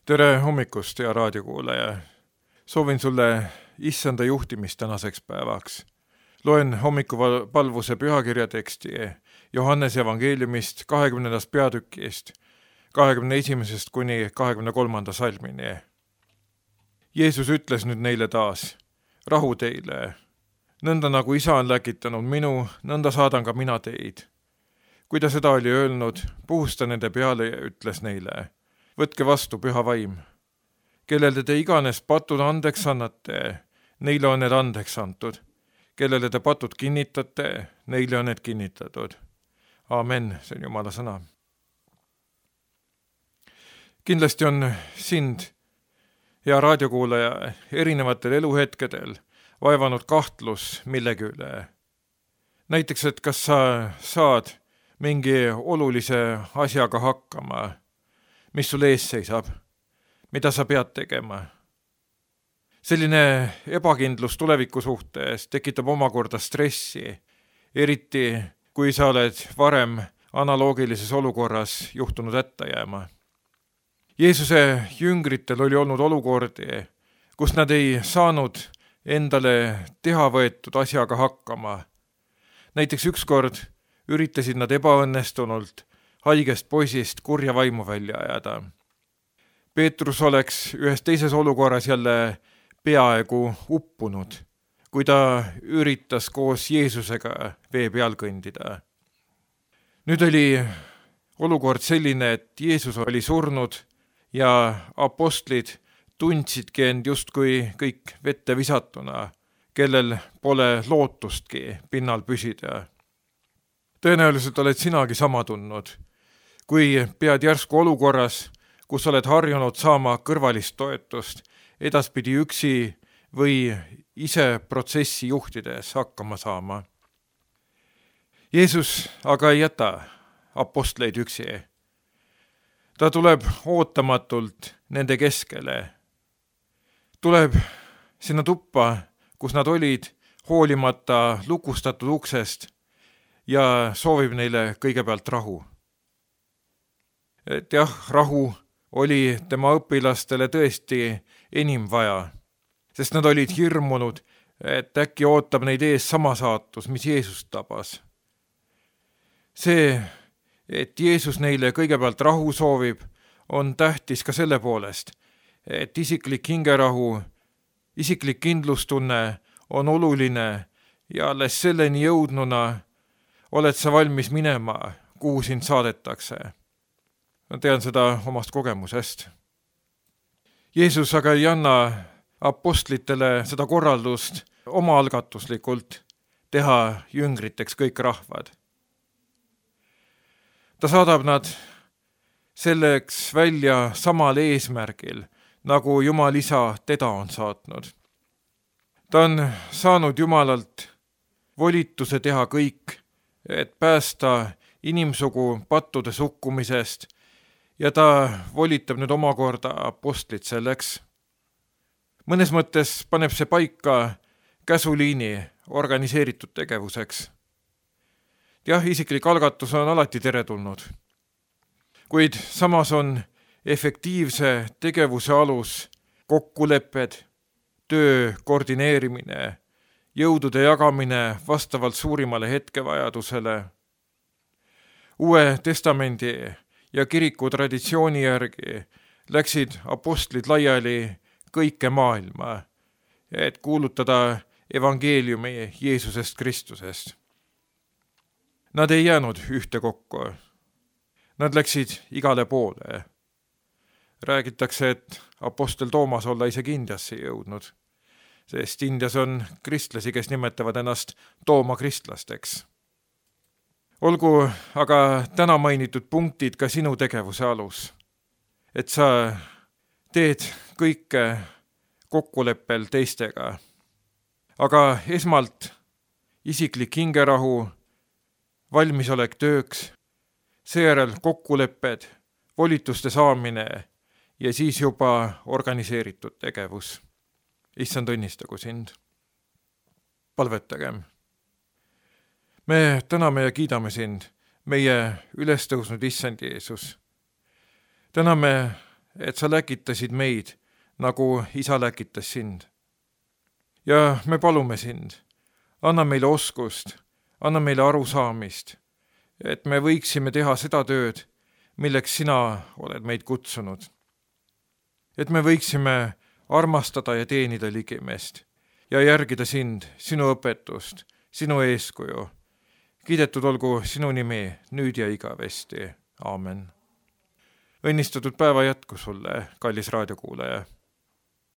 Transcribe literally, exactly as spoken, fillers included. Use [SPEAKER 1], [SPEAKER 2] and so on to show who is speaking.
[SPEAKER 1] Tere hommikust, hea raadiokuulaja! Soovin sulle issanda juhtimist tänaseks päevaks. Loen hommikupalvuse pühakirja teksti Johannese evangeeliumist kahekümnendast peatükist, kahekümne esimesest kuni kahekümne kolmanda salmini. Jeesus ütles nüüd neile taas, rahu teile. Nõnda nagu isa on läkitanud minu, nõnda saadan ka mina teid. Kui ta seda oli öelnud, puhus ta nende peale ja ütles neile, võtke vastu püha vaim. Kellele te iganes patud andeks annate, neile on need andeks antud. Kellele te patud kinnitate, neile on need kinnitatud. Aamen, see on Jumala sõna. Kindlasti on sind, hea raadiokuulaja, erinevatel eluhetkedel vaevanud kahtlus millegi üle. Näiteks, et kas sa saad mingi olulise asjaga hakkama, mis sul ees seisab, mida sa pead tegema. Selline ebakindlus tuleviku suhtes tekitab omakorda stressi, eriti kui sa oled varem analoogilises olukorras juhtunud hätta jääma. Jeesuse jüngritel oli olnud olukordi, kus nad ei saanud endale teha võetud asjaga hakkama. Näiteks ükskord üritasid nad ebaõnnestunult haigest poisist kurja vaimu välja ajada. Peetrus oleks ühes teises olukorras jälle peaaegu uppunud, kui ta üritas koos Jeesusega vee peal kõndida. Nüüd oli olukord selline, et Jeesus oli surnud ja apostlid tundsidki end justkui kõik vette visatuna, kellel pole lootustki pinnal püsida. Tõenäoliselt oled sinagi sama tundnud, kui pead järsku olukorras, kus oled harjunud saama kõrvalist toetust, edaspidi üksi või ise protsessi juhtides hakkama saama. Jeesus aga ei jäta apostleid üksi. Ta tuleb ootamatult nende keskele. Tuleb sinna tuppa, kus nad olid, hoolimata lukustatud uksest ja soovib neile kõigepealt rahu. Et jah, rahu oli tema õpilastele tõesti enim vaja, sest nad olid hirmunud, et äkki ootab neid ees sama saatus, mis Jeesust tabas. See, et Jeesus neile kõigepealt rahu soovib, on tähtis ka selle poolest, et isiklik hingerahu, isiklik kindlustunne on oluline ja alles selleni jõudnuna oled sa valmis minema, kuhu sind saadetakse. Ma tean seda omast kogemusest. Jeesus aga ei anna apostlitele seda korraldust omaalgatuslikult teha jüngriteks kõik rahvad. Ta saadab nad selleks välja samal eesmärgil, nagu Jumal isa teda on saatnud. Ta on saanud Jumalalt volituse teha kõik, et päästa inimsugu pattude sukkumisest, ja ta volitab nüüd omakorda apostlit selleks. Mõnes mõttes paneb see paika käsuliini organiseeritud tegevuseks. Jah, isiklik algatus on alati teretulnud, kuid samas on efektiivse tegevuse alus kokkulepped, töö koordineerimine, jõudude jagamine vastavalt suurimale hetkevajadusele. Uue testamendi ja kiriku traditsiooni järgi läksid apostlid laiali kõike maailma, et kuulutada evangeeliumi Jeesusest Kristusest. Nad ei jäänud ühte kokku. Nad läksid igale poole. Räägitakse, et apostel Toomas olla isegi Indiasse jõudnud, sest Indias on kristlasi, kes nimetavad ennast Tooma kristlasteks. Olgu aga täna mainitud punktid ka sinu tegevuse alus, et sa teed kõike kokkuleppel teistega. Aga esmalt isiklik hingerahu, valmisolek tööks, seejärel kokkulepped, volituste saamine ja siis juba organiseeritud tegevus. Issand õnnistagu sind. Palvetagem. Me täname ja kiidame sind, meie ülestõusnud Issand Jeesus. Täname, et sa läkitasid meid, nagu isa läkitas sind. Ja me palume sind, anna meile oskust, anna meile arusaamist, et me võiksime teha seda tööd, milleks sina oled meid kutsunud. Et me võiksime armastada ja teenida ligimest ja järgida sind, sinu õpetust, sinu eeskuju. Kiidetud olgu sinu nimi nüüd ja igavesti. Aamen. Õnnistatud päeva jätku sulle, kallis raadiokuulaja.